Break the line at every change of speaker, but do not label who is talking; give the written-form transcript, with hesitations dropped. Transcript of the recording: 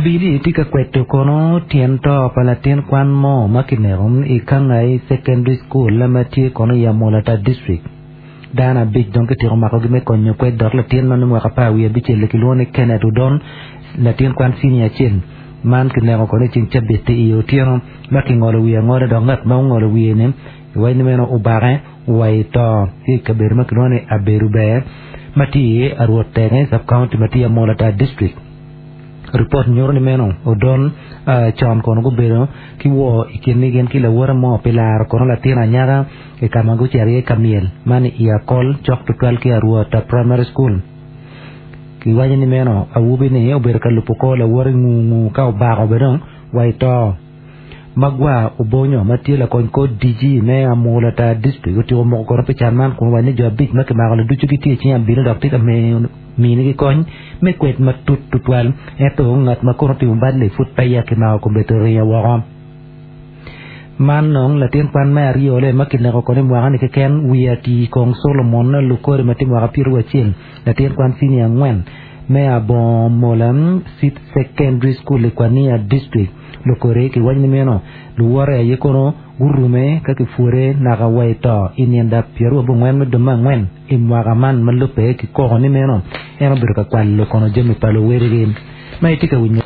Abili tye ka kweto kono tyen to pa latin kwan mo ma kineko i Kangai Secondary School ma tye kono i Amolatar District. Dano abic dong kityeko makogi me konyo kwed dok latin ma nongo mwaka 15 kilwongo ni Kenneth Odon, latin kwan senior acel. Man kineko kono i ceng cabit-ti i otyeno ma kingolo wiye angola dok ngat ma ongolo wiye-ni iwaco ni meno obake wa i to ki i kabedo ma kilwongo ni Abedo Ber ma tye i Arwot Tenge Sub-County ma tye i Amolatar District. Ripot nyuto ni meno Odon con kono gubedo ki woo i kingi gin ki lawote mo pi laro kono latin anyaka i ka ma gucito iye ka myel man i Akol cok tutwal ki Arwota Primary School. Kiwaco ni meno awobi-ni obedo ka lubo kor lawote ngu ngu ka obako bene dong wa i to. Magwa Obonyo ma tye lakony kor DG me Amolatar District otyeko moko kono pi can man kun owaco ni jo abic ma kimako-ni ducu gitye i cing abili dok tye ka minigi kony me kwed matut tutwal ento ngat ma kono otimo bal-li pud peya kimako kombeddi oringo woko. Man nong latin kwan me aryole ma kineko kono i mwaka-ni keken wiye ati kong Solomon Lukore ma tye mwaka pyeraryo latin kwan cinia angwen me Abongomola Seed Secondary School i Kwania District. Lukore kiwaco ni meno luwote aye kono gurume ka kipwode naka wa i to i nino pyerabongwen me dwe me angwen i mwaka man ma lubbe ki koko ni meno en obedo ka kwalo kono jami pa luwedigi ma itye ka winyo.